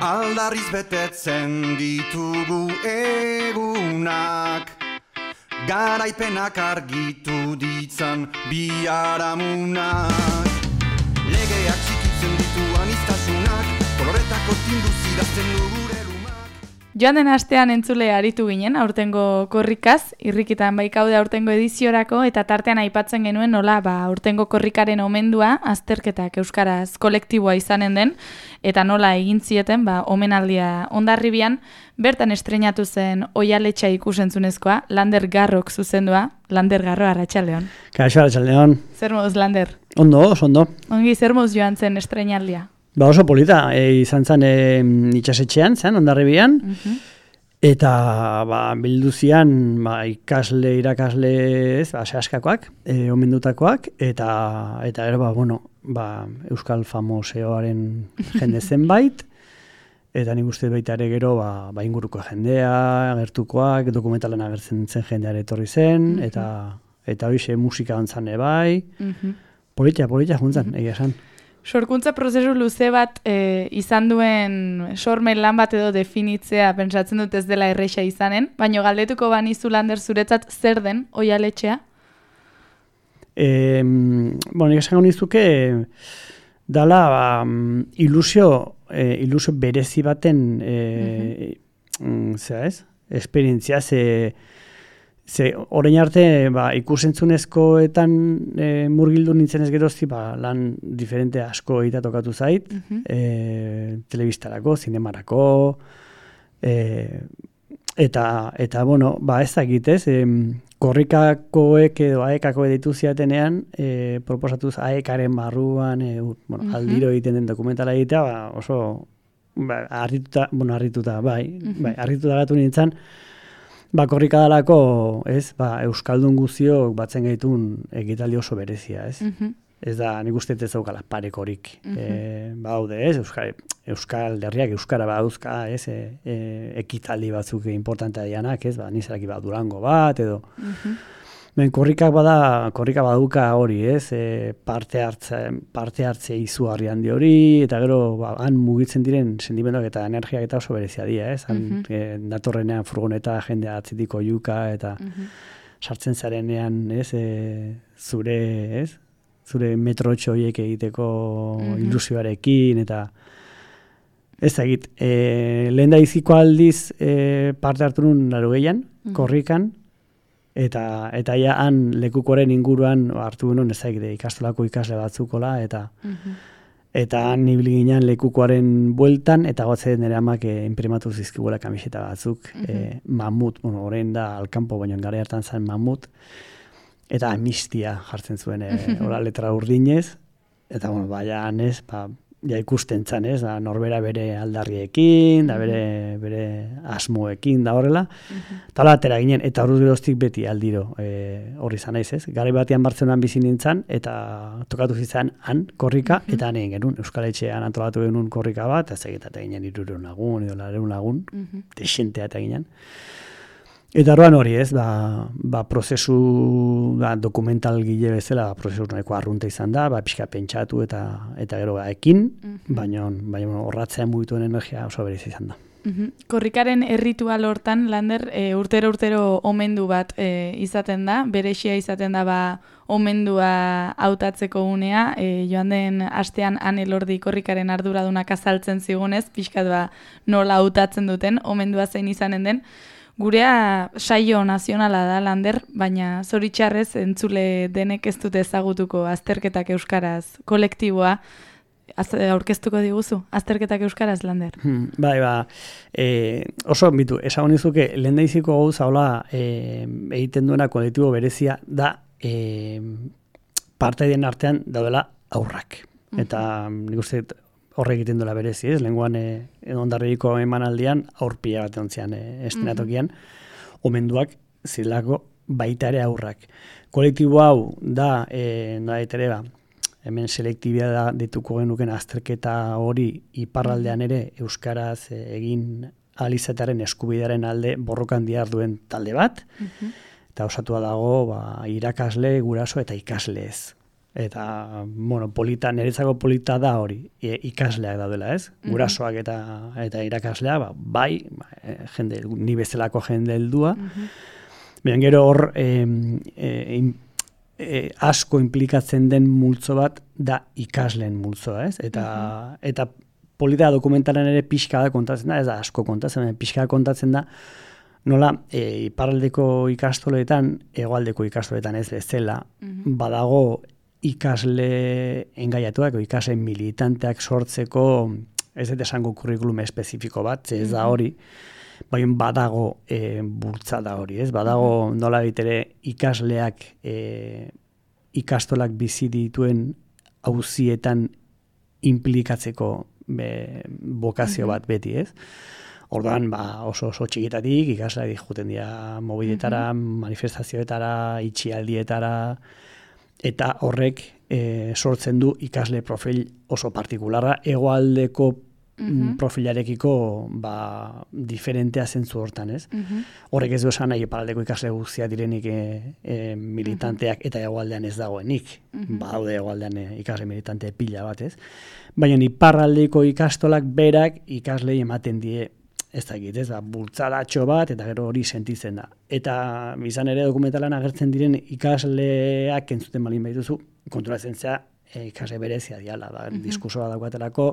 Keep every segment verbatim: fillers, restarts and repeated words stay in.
Aldarriz betetzen ditugu egunak, garaipenak argitu ditzan biharamunak. Legeak txikitzen ditu aniztasunak, koloretako tinduz idazten du gure lumak. Joan den astean entzule aritu ginen, aurtengo korrikaz, irrikitan baikaude aurtengo ediziorako, eta tartean aipatzen genuen nola ba, aurtengo korrikaren omendua, azterketak euskaraz kolektiboa izanen den, eta nola egin zieten, ba, omenaldia Hondarribian, bertan estreinatu zen Oihaletxa ikusentzunezkoa, Lander Garrok zuzendua. Lander Garro, arratsaldeon. Kaixo, arratsaldeon. Zer moduz, Lander? Ondo, oso ondo. Ongi, zer moduz joan zen estreinaldia? Ba oso polita, e, izan zen e, itxasetxean, zen, Hondarribian, uh-huh. Eta ba, bilduzian ba, ikasle, irakasle, ez, ba, sehaskakoak, e, omendutakoak, eta, eta ero, ba, bueno, ba, Euskal Famoseoaren jende zenbait, eta nik uste baita ere gero ba, ba inguruko jendea, agertukoak, dokumentalan agertzen zen jendeare etorri zen, uh-huh. eta eta hoxe musika ontzan ebai, uh-huh. polita, polita juntzan, uh-huh. egia esan. Sorkuntza prozesu luze bat e, izan duen sormen lan bat edo definitzea pentsatzen dut ez dela erresa izanen, baina galdetuko banizu, Lander, zuretzat zer den Oihaletxea? E, bueno, nik esango nizuke dala ba, ilusio, e, ilusio berezi baten e, uh-huh. zera ez? Esperientzia, ze Ze, orain arte, ba, ikusentzunezkoetan e, murgildu nintzen ez gerozti, ba, lan diferente asko egitea tokatu zait, uh-huh. e, telebistarako, zinemarako, e, eta, eta, bueno, ba, ez dakit, ez, e, korrikakoek edo aekako editu ziatenean, e, proposatuz aekaren barruan, e, bueno, uh-huh. aldiro egiten den dokumentala egitea, ba, oso, ba, harrituta, bueno, harrituta, bai, uh-huh. bai, harrituta gatu nintzen, ba, korrika dalako, ez, ba, Euskaldun guztiok batzen gaitun egitaldi oso berezia, ez? Uh-huh. Ez da, nik uste ez daukala parekorik. Uh-huh. E, ba, haude, ez, Euskal, Euskal Herriak Euskara badauzka, ez, e, e, ekitaldi batzuk importantea dianak, ez, ba, nizaraki ba, Durango bat, edo. Uh-huh. Ben, korrikak bada, korrika baduka hori, ez, e, parte hartze, parte hartze izugarri handi hori, eta gero, ba, han mugitzen diren sentimenduak eta energiak eta oso berezia dira, ez, han, uh-huh. e, datorrenean furgoneta jendea atzitiko juka, eta uh-huh. sartzen zarenean, ez, e, zure, ez, zure metrotxo horiek egiteko uh-huh. ilusioarekin, eta ez da egit, e, lehen da iziko aldiz e, parte hartu nun larogeian, uh-huh. korrikan, Eta eta ja han lekukoren inguruan hartu genuen ezaik ikastolako ikasle batzukola eta uh-huh. eta han ibili ginen lekukoaren bueltan eta gotze nere amak e, inprimatu zizkiguela kamiseta batzuk uh-huh. e, mamut, bueno, orain da alkampo baino gara hartan zen mamut eta amnistia jartzen zuen e, ora letra urdinez eta bueno, baina ez, ba ja ikusten zan, ez, da, norbera bere aldarriekin, da bere, bere asmoekin, da horrela. Uh-huh. Tala atera ginen, eta horuz geroztik beti aldiro e, horri zan naiz, ez? Garai batean Bartzelonan bizi nintzen, eta tokatu zitzen han korrika, uh-huh. eta han egin genuen, Euskal Etxean antolatu genuen korrika bat, eta zegetate ginen hirurehun lagun, edo laurehun lagun, uh-huh. desentea eta ginen. Eta orduan hori, ez, ba, ba prozesu ba, dokumental gile bezala, ba, prozesu nahiko arrunta izan da, ba, pixka pentsatu eta eta gero ba, ekin, uh-huh. baina baina horratzean mugituen energia oso berez izan da. Uh-huh. Korrikaren erritual hortan, Lander, e, urtero urtero omendu bat e, izaten da, berexia izaten da ba, omendua hautatzeko unea, e, joan den astean Ane Lordi korrikaren arduradunak azaltzen zigunez, pixkat ba, nola hautatzen duten, omendua zein izanen den. Gurea saio nazionala da, Lander, baina zoritxarrez entzule denek ez dute ezagutuko azterketak euskaraz kolektiboa. Aurkeztuko diguzu, azterketak euskaraz, Lander? Hmm, bai, ba, e, oso, bitu, esagun izuke, lehen daiziko gauza hola e, egiten duena kolektibo berezia da e, parte den artean daudela aurrak. Uh-huh. Eta nik uste horre egiten duela berezi, ez? Lenguan e, Hondarribiko emanaldian aurpila bat ontzian e, estenatokian, uh-huh. omenduak zilako baita ere aurrak. Kolektibo hau da, e, da ere ba, hemen selektibia da dituko genuken azterketa hori iparraldean ere euskaraz egin alizatearen eskubidearen alde borrokan dihar duen talde bat, uh-huh. eta osatua dago ba, irakasle, guraso eta ikaslez. Eta, bueno, polita, niretzako polita da hori, e, ikasleak daudela, ez? Gurasoak eta eta irakasleak, ba, bai, ba, jende, ni bezalako jende heldua. Baina gero hor e, e, e, asko implikatzen den multzo bat da ikasleen multzoa, ez? Eta, eta polita dokumentaren ere pixka da kontatzen da, ez da asko kontatzen da, pixka kontatzen da, nola, e, iparraldeko ikastoletan, hegoaldeko ikastoletan ez bezala, badago ikasle engaiatuak, ikasle militanteak sortzeko, ez dut esango kurrikulum espezifiko bat, ez da hori, baina badago e, bultzada hori, ez? Badago nola ere ikasleak e, ikastolak bizi dituen auzietan implikatzeko be, bokazio bat beti, ez? Orduan, ba, oso oso txikitatik ikasleak joaten dira mobiletara, manifestazioetara, itxialdietara, eta horrek e, sortzen du ikasle profil oso partikularra, hegoaldeko mm-hmm. profilarekiko ba, diferentea zentzu hortan, ez? Mm-hmm. Horrek ez du esan nahi iparraldeko ikasle guztia direnik e, e, militanteak mm-hmm. eta hegoaldean ez dagoenik. Mm-hmm. Badaude hegoaldean e, ikasle militante pila bat, ez? Baina iparraldeko ikastolak berak ikaslei ematen die ez dakit, ez da, bultzadatxo bat, eta gero hori sentitzen da. Eta izan ere dokumentalan agertzen diren ikasleak entzuten balin behituzu, konturatzen zea e, ikasle berezia diala, da, mm-hmm. diskursoa daukatelako,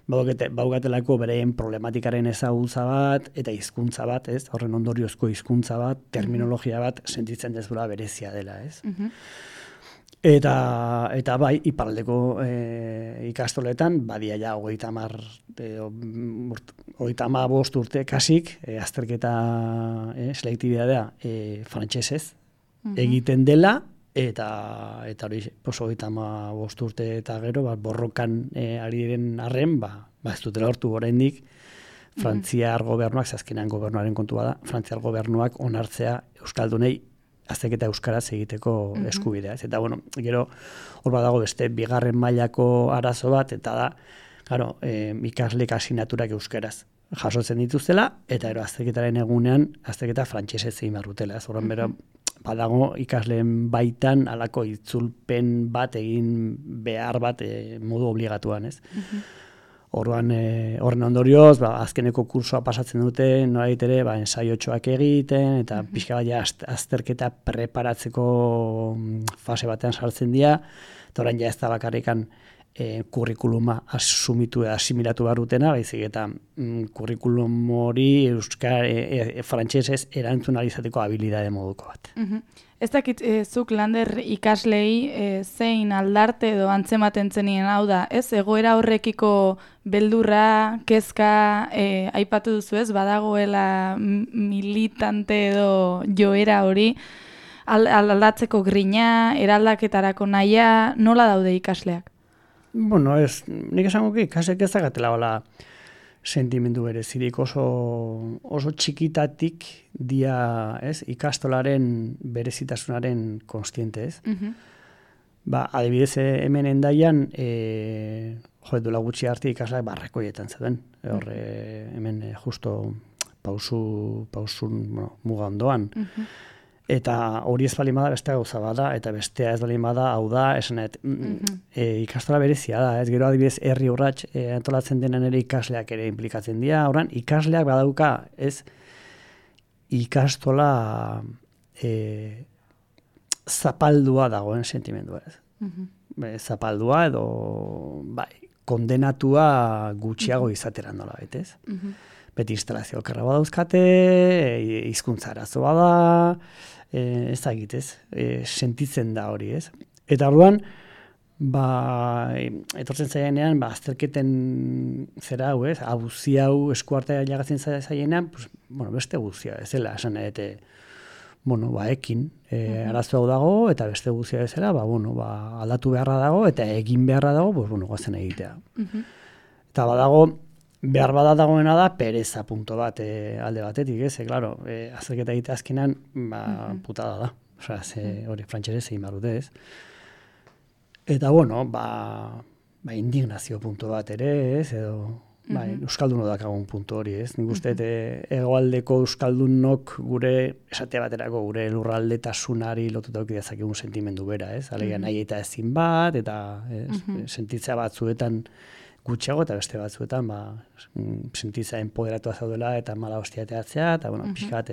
baukatelako bereien problematikaren ezagutza bat, eta hizkuntza bat, ez, horren ondoriozko hizkuntza bat, terminologia bat, sentitzen dezula berezia dela, ez. Mm-hmm. Eta, eta bai, iparraldeko e, ikastoletan, badia ja hogeita hamar, hogeita hamabost urte kasik, e, azterketa e, selektibitatea e, frantsesez mm-hmm. egiten dela, eta eta hori hogeita hamabost urte eta gero, ba, borrokan e, ari diren arren, ba, ba ez dutela hortu oraindik, Frantziar mm-hmm. gobernuak, zazkenean gobernuaren kontua da, Frantziar gobernuak onartzea euskaldunei azterketa euskaraz egiteko mm-hmm. eskubidea. Eta, bueno, gero, hor badago beste bigarren mailako arazo bat, eta da, claro, e, ikaslek asinaturak euskaraz jasotzen dituztela, eta ero azterketaren egunean, azterketa frantsesez egin barrutela. Ez horren bero, badago ikasleen baitan alako itzulpen bat egin behar bat e, modu obligatuan, ez? Mm-hmm. Orduan, e, horren ondorioz, ba, azkeneko kursoa pasatzen dute, norait ere, ba, ensaiotxoak egiten, eta mm-hmm. pixka bat azterketa preparatzeko fase batean sartzen dira, eta orain ja ez da bakarrikan e, kurrikuluma asumitu eta asimilatu barutena, baizik eta mm, kurrikulum hori euskar, e, e, frantsesez erantzun alizateko habilidade moduko bat. Mm-hmm. Ez dakit, e, zuk Lander ikaslei e, zein aldarte edo antzematen zenien hau da, ez? Egoera horrekiko beldurra, kezka, e, aipatu duzu ez, badagoela militante edo joera hori, aldatzeko grina, eraldaketarako nahia, nola daude ikasleak? Bueno, ez, nik esango ki, ikasleak ez dagatela hola sentimendu berezirik oso, oso txikitatik dia, ez, ikastolaren berezitasunaren konstiente, ez? Mm-hmm. Ba, adibidez hemen endaian, e, jo, duela gutxi arte ikasleak barrekoietan zeuden. Horre, hemen e, justo pausu, pausun, bueno, muga ondoan. Mm-hmm. Eta hori ez balin bada beste gauza bada, eta bestea ez balin bada, hau da, esanet, mm-hmm. e, ikastola berezia da, ez gero adibidez herri urrats e, antolatzen denen ere ikasleak ere implikatzen dira, horren ikasleak badauka, ez ikastola e, zapaldua dagoen sentimendua, ez. Mm-hmm. Zapaldua edo, bai, kondenatua gutxiago mm-hmm. izateran nola betez. Mm-hmm. Beti instalazio okerra badauzkate, hizkuntza arazoa da, e, ez da egitez, e, sentitzen da hori, ez? Eta orduan, ba, etortzen zaienean, ba, azterketen zera hau, ez? Abuzi hau eskuartea jagatzen zaienean, pues, bueno, beste guzia, ez dela, esan edete, bueno, ba, ekin, e, uh-huh. arazo hau dago, eta beste guzia bezala, ba, bueno, ba, aldatu beharra dago, eta egin beharra dago, pues, bueno, goazen egitea. Uh-huh. Eta badago, behar bada dagoena da, pereza punto bat e, alde batetik, ez? E, claro, e, azterketa egite azkenan, ba, uh-huh. putada da. Osea, ze, hori frantxerez egin barute, ez? Eta, bueno, ba, ba indignazio punto bat ere, ez? Edo, bai, euskaldunok dakagun puntu hori, ez? Nik uste hegoaldeko euskaldunok gure esate baterako gure lurraldetasunari lotuta eduki dezakegun sentimendu bera, ez? Alegia nahi eta ezin bat eta ez, sentitzea batzuetan gutxiago eta beste batzuetan ba sentitzea empoderatua zaudela eta mala hostia teatzea eta bueno, pixkat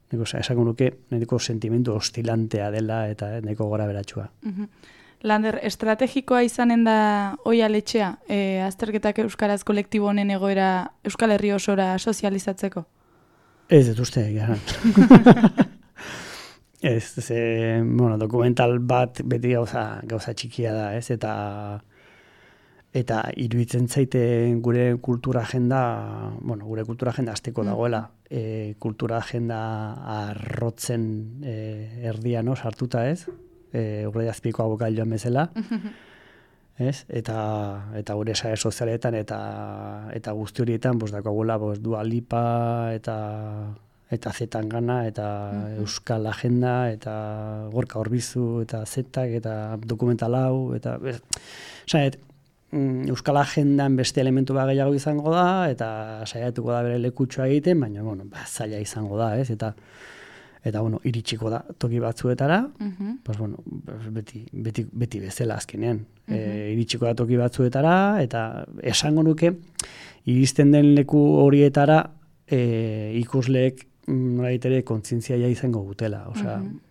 Nik esango nuke, nahiko sentimendu hostilantea dela eta nahiko gora beratxua. Lander, estrategikoa izanen da Oihaletxea, e, azterketak euskaraz kolektibo honen egoera Euskal Herri osora sozializatzeko? Ez, ez uste, gara. ez, ez, bueno, dokumental bat beti gauza, gauza txikia da, ez, eta eta iruditzen zaite gure kultura agenda, bueno, gure kultura agenda azteko dagoela, e, kultura agenda arrotzen e, erdian, no, sartuta ez, e, urre azpiko abokailoan bezala, ez? Eta, eta gure sare sozialetan eta eta guzti horietan, bos dakoagula, bos Dua Lipa eta eta Zetangana eta Euskal Agenda eta Gorka Orbizu eta Zetak eta dokumental hau eta saet Euskal Agendan beste elementu bat gehiago izango da eta saiatuko da bere lekutxoa egiten, baina bueno, ba, zaila izango da, ez? Eta eta bueno, iritsiko da toki batzuetara, uh-huh. pues bueno, beti, beti, beti bezala azkenean. Uh-huh. E, iritsiko da toki batzuetara eta esango nuke iristen den leku horietara e, ikusleek nolabait ere kontzientzia ja izango dutela, osea, uh-huh.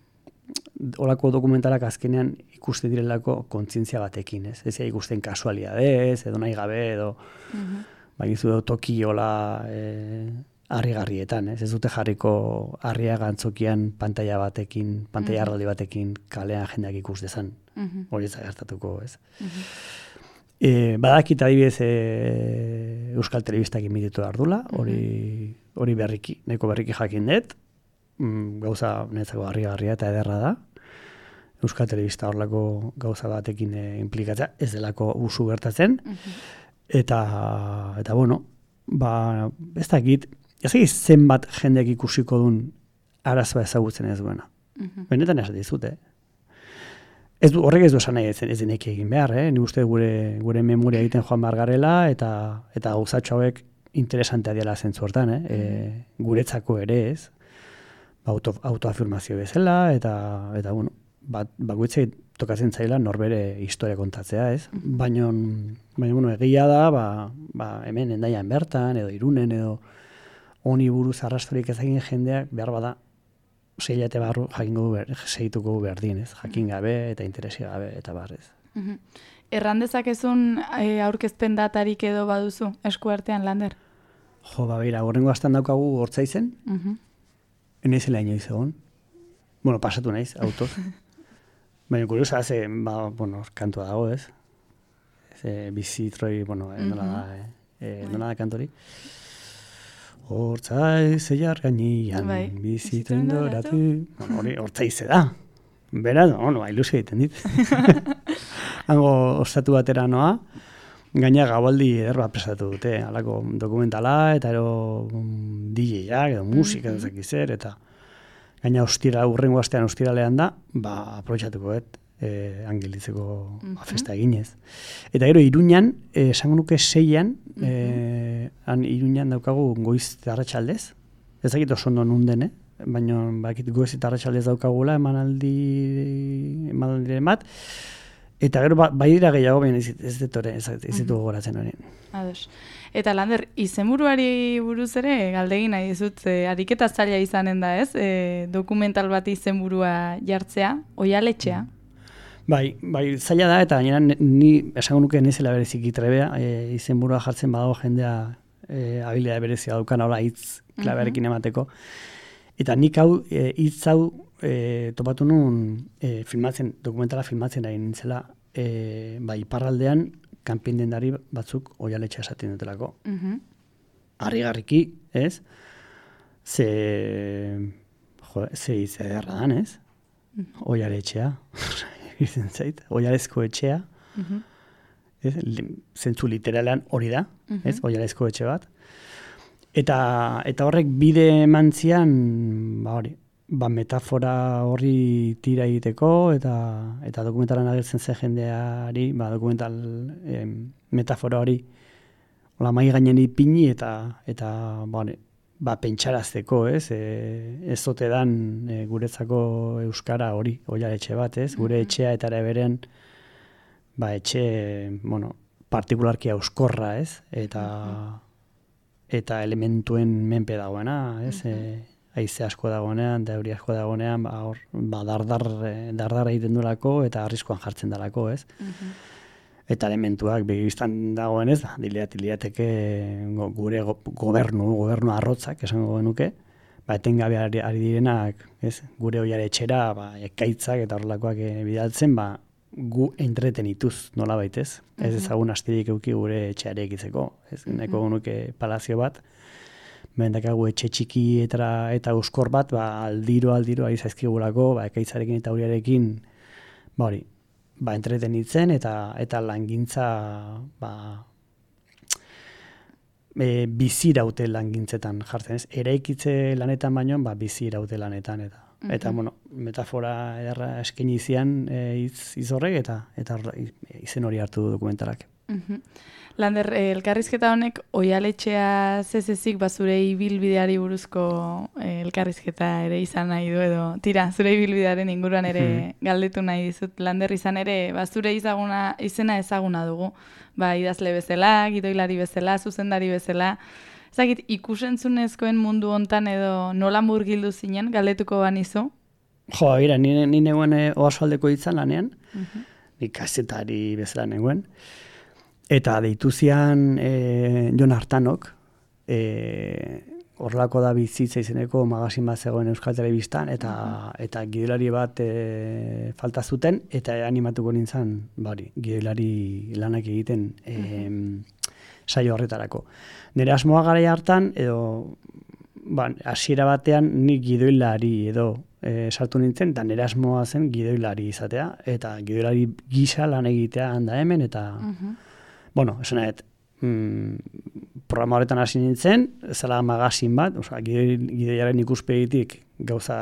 Olako dokumentalak azkenean ikusten direlako kontzientzia batekin, ez? Ez ikusten kasualidadez, edo nahi gabe, edo uh-huh. bagizu edo toki hola e, harrigarrietan, ez? Ez dute jarriko harria gantzokian pantalla batekin, pantalla arraldi batekin kalean jendeak ikus dezan. Uh-huh. Hori ez da gertatuko, ez? Uh-huh. E, badakit adibidez e, Euskal Telebistak imititu ardula, hori uh-huh. hori berriki, nahiko berriki jakin dut, mm, gauza netzako harrigarria eta ederra da. Euskal Telebista horlako gauza batekin e, implikatzea, ez delako usu gertatzen. Uh-huh. Eta, eta bueno, ba, ez dakit, ez dakit zenbat jendeak ikusiko duen arazoa ezagutzen ez duena. Uh-huh. Benetan ez dizute. Ez du, horrek ez du esan nahi ez, ez denek egin behar, eh? Ni uste gure, gure memoria egiten joan behar garela eta, eta gauzatxo hauek interesantea dela zentzu hortan, eh? E, guretzako ere ez, auto, autoafirmazio bezala eta, eta bueno, bat, bakoitzei tokatzen zaila norbere historia kontatzea, ez? Baina, baina bueno, egia da, ba, ba, hemen Hendaian bertan, edo Irunen, edo honi buruz arrastorik ezagin jendeak behar bada sei hilabete barru jakingo ber, segituko berdin, ez? Jakin gabe eta interesi gabe eta barrez. Uh-huh. Erran dezakezun e, aurkezpen datarik edo baduzu eskuartean, Lander? Jo, ba, beira, horrengo astan daukagu Hortzaizen, uh-huh. enezela inoiz egon. Bueno, pasatu naiz, autoz. Baina kuriosa, ze, ba, bueno, kantua dago, ez? Ze, bizitroi, bueno, eh, nola da, eh, eh, nola da kantori? Hortzaiz eiar gainian, bizitroin doratu. Bueno, hori, hortzaize da. Beraz, no, no, ilusio egiten dit. Hango ostatu batera noa, gaina gaualdi eder bat presatu dute, halako dokumentala, eta ero um, D J-ak, edo musika, mm-hmm. ezak zer, eta gaina ostira, urrengo astean ostiralean da, ba, aprobetxatuko et, eh, angelitzeko mm-hmm. festa eginez. Eta gero, Iruñan, eh, esango nuke seian, mm-hmm. eh, han Iruñan daukagu goiz eta arratsaldez, ez dakit oso ondo nunden, eh? Baina bakit goiz eta arratsaldez daukagula emanaldi, emanaldi bat, eta gero ba, bai dira gehiago, baina ez, ez ditore, ez, ez ditu gogoratzen horien. Ados. Eta Lander, izenburuari buruz ere, galdegin nahi dizut, e, ariketa zaila izanen da, ez? E, dokumental bat izenburua jartzea, Oihaletxea. Bai, bai, zaila da, eta gainera ni esango nuke nezela bereziki trebea, e, izenburua jartzen badago jendea e, habilidade berezia daukan, hola hitz klabearekin emateko. Eta nik hau, e, hitz hau e, topatu nun e, filmatzen, dokumentala filmatzen ari nintzela, e, bai, iparraldean, kanpin dendari batzuk Oihaletxea esaten dutelako. Uh-huh. Harrigarriki, ez? Ze, jo, ze hitz ederra dan, ez? Uh-huh. Oihaletxea, izen zait, Oihalezko etxea, uh-huh. ez? Zentzu literalean hori da, uh-huh. ez? Oihalezko etxe bat. Eta, eta horrek bide emantzian, ba hori, ba metafora horri tira egiteko eta eta dokumentalan agertzen zen jendeari, ba dokumental em, metafora hori Ola mai gainen ipini eta, eta bane, ba, pentsarazteko, ez? E, ez zote dan e, guretzako euskara hori, oialetxe bat, ez? Gure etxea eta ere beren, ba, etxe, bueno, partikularki euskorra, ez? Eta, eta elementuen menpe dagoena, ez? E, haize asko dagoenean, dauri asko dagoenean, ba, hor, ba, dardar, dardar egiten duelako eta arriskoan jartzen dalako, ez? Eta elementuak begiztan dagoen ez, diliateke gure gobernu, gobernu arrotzak, esango genuke, ba, etengabe ari, ari direnak, ez, gure oiare etxera, ba, ekaitzak eta horrelakoak bidaltzen, ba, gu entretenituz nola baitez. Ez ezagun astirik euki gure etxeare ekitzeko, ez, nahiko genuke palazio bat, bendakagu etxe txiki eta, eta euskor bat, ba, aldiro, aldiro, ari zaizkigulako, ba, ekaitzarekin eta uriarekin, ba, hori, ba, entretenitzen eta eta langintza ba, e, biziraute langintzetan jartzen, ez? Eraikitze lanetan baino, ba, biziraute lanetan eta uh-huh. eta bueno, metafora ederra eskaini zian e, hitz izorrek eta eta izen hori hartu du dokumentalak. Uh-huh. Lander, eh, elkarrizketa honek oialetxea zezezik ba zure ibilbideari buruzko eh, elkarrizketa ere izan nahi du edo tira, zure ibilbidearen inguruan ere uh-huh. galdetu nahi dizut. Lander, izan ere, ba zure izaguna, izena ezaguna dugu. Ba, idazle bezala, gidoilari bezala, zuzendari bezala. Ezagit, ikusentzunezkoen mundu hontan edo nola murgildu zinen, galdetuko banizu? Jo, bera, ni, ni neguen oarsoaldeko hitzan lanean, uh-huh. ni kazetari bezala neguen. Eta deitu zian e, Jon Artanok, e, horrelako da bizitza izeneko magazin bat zegoen Euskal Telebistan, eta, uh-huh. eta gidoilari bat e, falta zuten, eta animatuko nintzen, bari, gidoilari lanak egiten e, uh-huh. saio horretarako. Nire asmoa garaia hartan, edo ba, hasiera batean nik gidoilari edo e, sartu nintzen, eta nire asmoa zen gidoilari izatea, eta gidoilari gisa lan egitea handa hemen, eta uh-huh. bueno, esan nahet, mm, programa horretan hasi nintzen, zela magazin bat, oza, gidoiaren ikuspegitik gauza,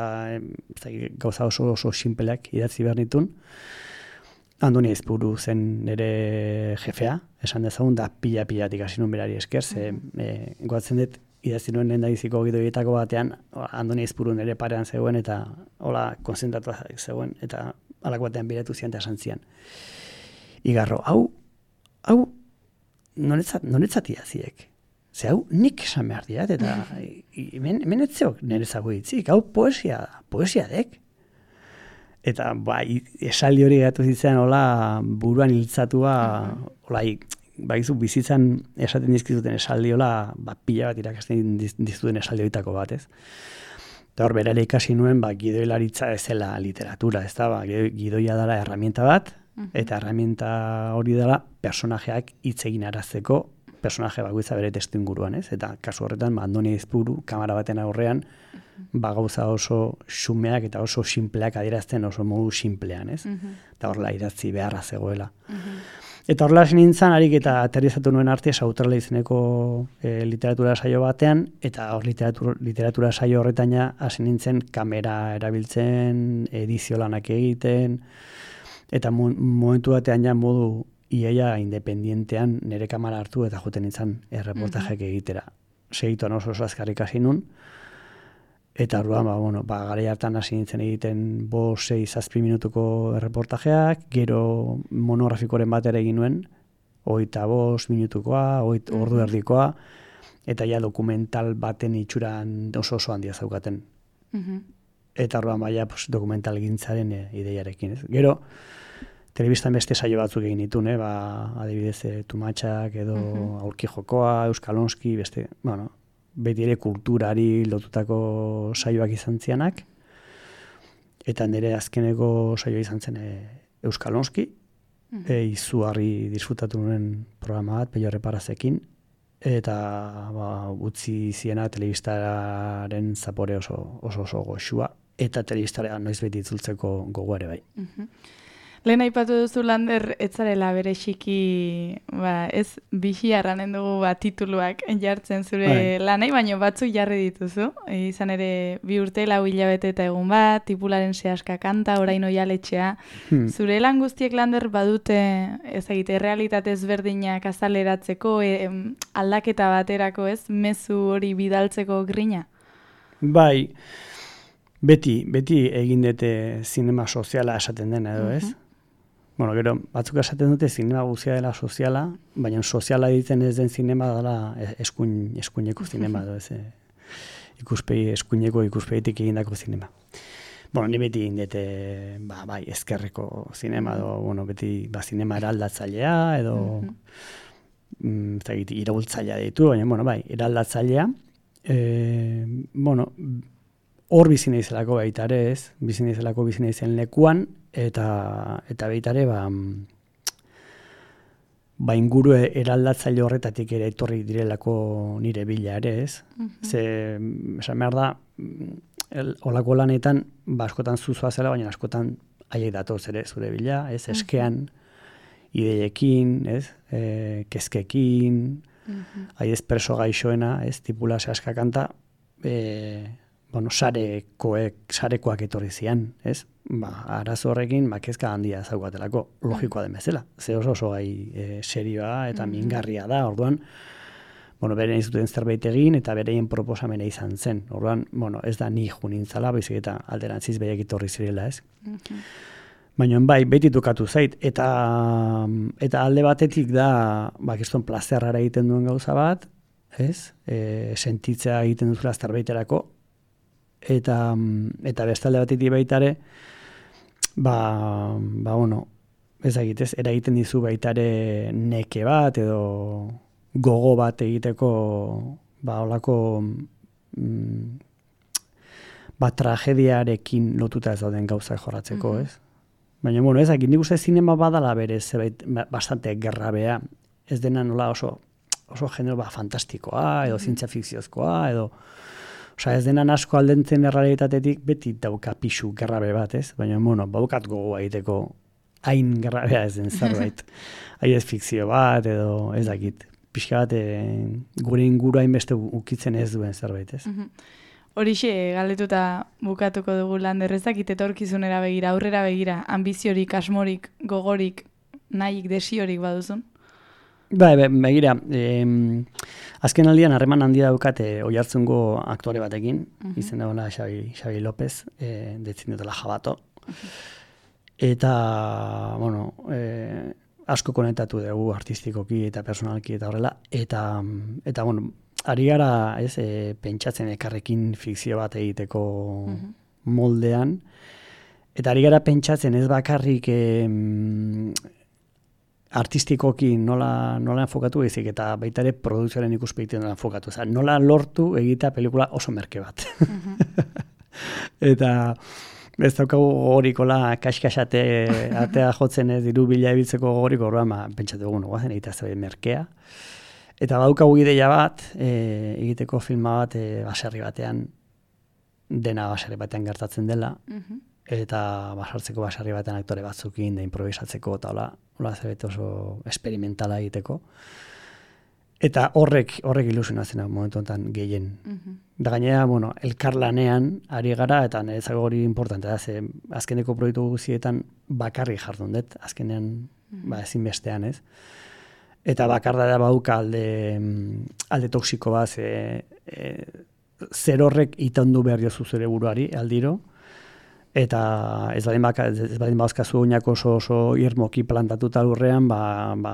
gauza oso oso sinpeleak idatzi behar nitun. Andoni Aizpuru zen nire jefea, esan dezagun, da pila-pilatik hasi nun berari esker, ze e, goatzen dut, idatzi nuen lehendabiziko gidoietako batean, Andoni Aizpuru nire parean zegoen, eta hola konzentratu zegoen, eta alako batean biratu zian eta esan zian. Igarro, hau, hau, noretzat, noretzat idaziek. Ze hau nik esan behar diat, eta hemen etzeok niretzako hitzik, hau poesia da, poesia dek. Eta ba, esaldi hori gatu zitzen, hola, buruan hiltzatua, hola, baizu bizitzan esaten dizkizuten esaldi, hola, ba, pila bat irakasten dizuten esaldi horietako bat, ez. Eta hor, berare ikasi nuen, ba, gidoilaritza ez zela literatura, ez da, ba, gidoia dela herramienta bat, eta herramienta hori dela personajeak hitz egin arazteko, personaje bakoitza bere testu inguruan, ez? Eta kasu horretan, ba, Andoni Aizpuru, kamera baten aurrean, ba, gauza oso xumeak eta oso simpleak adierazten oso modu simplean, ez? Eta horrela idatzi beharra zegoela. Eta horrela hasi nintzen, harik eta aterrizatu nuen arte, Sauterla izeneko e, literatura saio batean, eta hor literatura, literatura saio horretan hasi nintzen kamera erabiltzen, edizio lanak egiten, eta momentu batean ja modu iaia independientean nire kamera hartu eta joten nintzen erreportajeak egitera. Segituan oso oso azkarrik hasi nun, eta orduan, ba, bueno, ba, garai hartan hasi nintzen egiten bost, sei, zazpi minutuko erreportajeak, gero monografikoren bat ere egin nuen, hogeita bost minutukoa, hogeita ordu erdikoa, eta ja dokumental baten itxuran oso oso handia zaukaten. Uh-huh. Eta orduan baia pues, dokumental gintzaren e, ideiarekin. Ez? Gero, telebistan beste saio batzuk egin ditun, eh? Ba, adibidez, e, Tumatxak edo uh-huh. Aurki Jokoa, Euskalonski, beste, bueno, beti ere kulturari lotutako saioak izan zianak, eta nire azkeneko saioa izan zen e, Euskalonski, uh-huh. e, izugarri disfrutatu nuen programa bat, Pello Reparazekin, eta ba, utzi ziena telebistaren zapore oso oso, oso goxua, eta telebistara noiz beti itzultzeko gogo ere bai. Uh-huh. Lehen aipatu duzu Lander etzarela bereziki, ba, ez bixi arranen dugu ba, tituluak jartzen zure Bai. lanei, baina batzuk jarri dituzu. E, izan ere bi urte lau hilabete eta egun bat, tipularen sehaska kanta, orain oialetxea. Hmm. Zure lan guztiek Lander badute, ez egite, realitate ezberdinak azaleratzeko, e, em, aldaketa baterako, ez, mezu hori bidaltzeko grina? Bai, beti, beti egin dute zinema soziala esaten dena edo, ez? Mhm. Bueno, gero, batzuk esaten dute zinema guztia dela soziala, baina soziala ditzen ez den zinema dela eskuin, eskuineko zinema edo, ez? Ikuspegi, eskuineko ikuspegitik egindako zinema. Bueno, ni beti egin dute, ba, bai, ezkerreko zinema edo, bueno, beti, ba, zinema eraldatzailea edo, mm, ez dakit, iraultzailea ditu, baina, bueno, bai, eraldatzailea, e, bueno, hor bizi naizelako baita ere, ez? Bizi naizelako bizi naizen lekuan, eta eta baita ere ba ba inguru eraldatzaile horretatik ere etorri direlako nire bila ere, ez? Mhm. Ze esan behar da el, olako lanetan ba askotan zuzua zela, baina askotan haiek datoz ere zure bila, ez? Eskean, ideiekin, ez? E, kezkekin, Mhm. haiez preso gaixoena, ez? Tipula sehaska kanta, e, bueno, sarekoek, sarekoak etorri zian, ez? Ba, arazo horrekin, ba, kezka handia zaukatelako, logikoa den bezala. Ze oso oso gai e, serioa eta mingarria da, orduan, bueno, bere izuten zerbait egin eta bereien proposamena izan zen. Orduan, bueno, ez da ni junintzala, baizik eta alderantziz behiak etorri zirela, ez? Mhm. Baina bai, beti tokatu zait, eta eta alde batetik da, ba, kiston plazerrara egiten duen gauza bat, ez? E, sentitzea egiten duzula zerbaiterako, eta eta beste alde batetik baita ere, ba, ba bueno, ez egitez, eragiten dizu baita ere neke bat edo gogo bat egiteko, ba, olako mm, ba, tragediarekin lotuta ez dauden gauzak jorratzeko, ez? Baina, bueno, ez, nik uste zinema badala berez, zerbait bastante gerrabea, ez dena nola oso, oso genero ba, fantastikoa, edo zientzia fikziozkoa, edo, osea, ez dena asko aldentzen errealitatetik beti dauka pixu gerrabe bat, ez? Baina, bueno, baukat gogoa egiteko hain gerrabea ez den zerbait. Hai ez fikzio bat, edo ez dakit, pixka bat e, gure inguru hainbeste ukitzen ez duen zerbait, ez? Mhm. Horixe, galdetuta bukatuko dugu Lander, ez dakit etorkizunera begira, aurrera begira, ambiziorik, asmorik, gogorik, nahik, desiorik baduzun? Bai, be, begira, eh, azken aldian harreman handia daukate oihartzungo aktore batekin, uh-huh. izen dagoela Xabi, Xabi López, eh, detzin dutela Jabato. Uh-huh. Eta, bueno, eh, asko konektatu dugu artistikoki eta personalki eta horrela, eta, eta bueno, ari gara, ez, e, pentsatzen ekarrekin fikzio bat egiteko uh-huh. moldean, eta ari gara pentsatzen ez bakarrik e, artistikoki nola, nola enfokatu ezik, eta baita ere produkzioaren ikuspegiten nola enfokatu. Oza, nola lortu egitea pelikula oso merke bat. Uh-huh. Eta ez daukagu gorikola kaskaxate atea jotzen ez diru bila ebiltzeko goriko orduan, ma, pentsatu dugu guazen egitea zerbait merkea. Eta badaukagu ideia bat, e, egiteko filma bat e, baserri batean, dena baserri batean gertatzen dela, uh-huh. eta basartzeko baserri batean aktore batzukin, da improvisatzeko, eta hola, hola zerbait oso experimentala egiteko. Eta horrek, horrek ilusionatzen da momentu honetan gehien. Uh-huh. Da gainera, bueno, elkarlanean ari gara, eta niretzako hori importante da, ze azkeneko proiektu guztietan bakarri jardun dut, azkenean uh-huh. ba, ezinbestean, ez? Eta bakarda da bauka alde, alde toksiko bat, e, e, zer horrek itandu behar jozu zure buruari aldiro, eta ez badin, baka, ez badin bauzkazu oinako oso, oso irmoki plantatuta lurrean, ba, ba,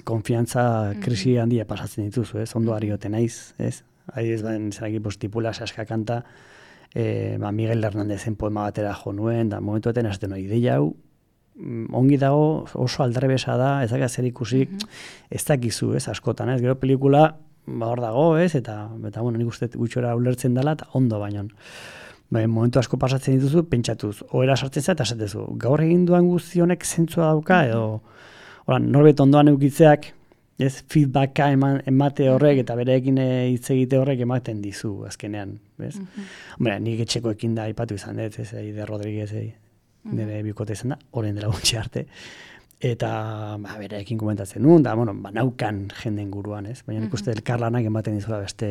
konfiantza krisi handia pasatzen dituzu, ez? Ondo arioten naiz, ez? Ari ez badin, zeraki, tipula sehaska kanta, e, ba, Miguel Hernández-en poema batera jo nuen, da momentuetan esaten hori ideia hau, ongi dago, oso aldrebesa da, ez dakia zer ikusik, uh-huh. ez dakizu, ez, askotan, ez, gero pelikula, ba, hor dago, ez, eta, eta bueno, nik uste gutxora ulertzen dela, eta ondo baino. Ba, momentu asko pasatzen dituzu, pentsatuz, oera sartzen za, eta esatezu, gaur egin duan guzti honek zentzua dauka, edo, hola, norbet ondoan eukitzeak, ez, feedbacka eman, emate horrek, eta bereekin hitz egite horrek ematen dizu, azkenean, ez? Uh-huh. Hombre, nik etxekoekin da ipatu izan dut, ez, Eider Rodríguez, nire bikote izan da, orain dela gutxi arte. Eta, ba, berekin komentatzen nuen, da, bueno, banaukan jenden guruan, ez? Baina nik uste elkarlanak ematen dizula beste,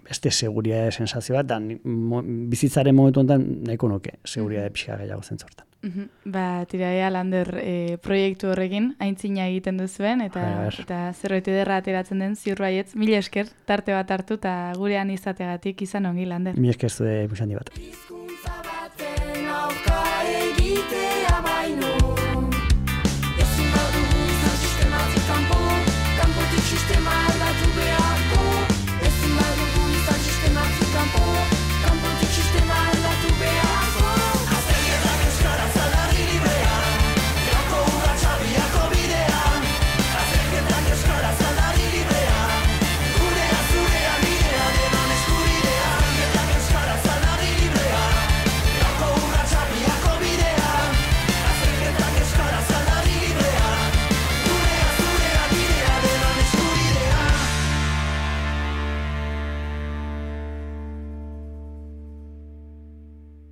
beste seguridade sensazio bat, da, mo, bizitzaren momentu honetan nahiko nuke, seguridade pixka gehiago zentzortan. Uh-huh. Ba, tiraia Lander e, proiektu horrekin aintzina egiten duzuen, eta, eta zerbait ederra ateratzen den ziur baietz, mil esker tarte bat hartu eta gurean izategatik izan ongi, Lander. Mil esker zure musandi bat. Hizkuntza baten aurka egitea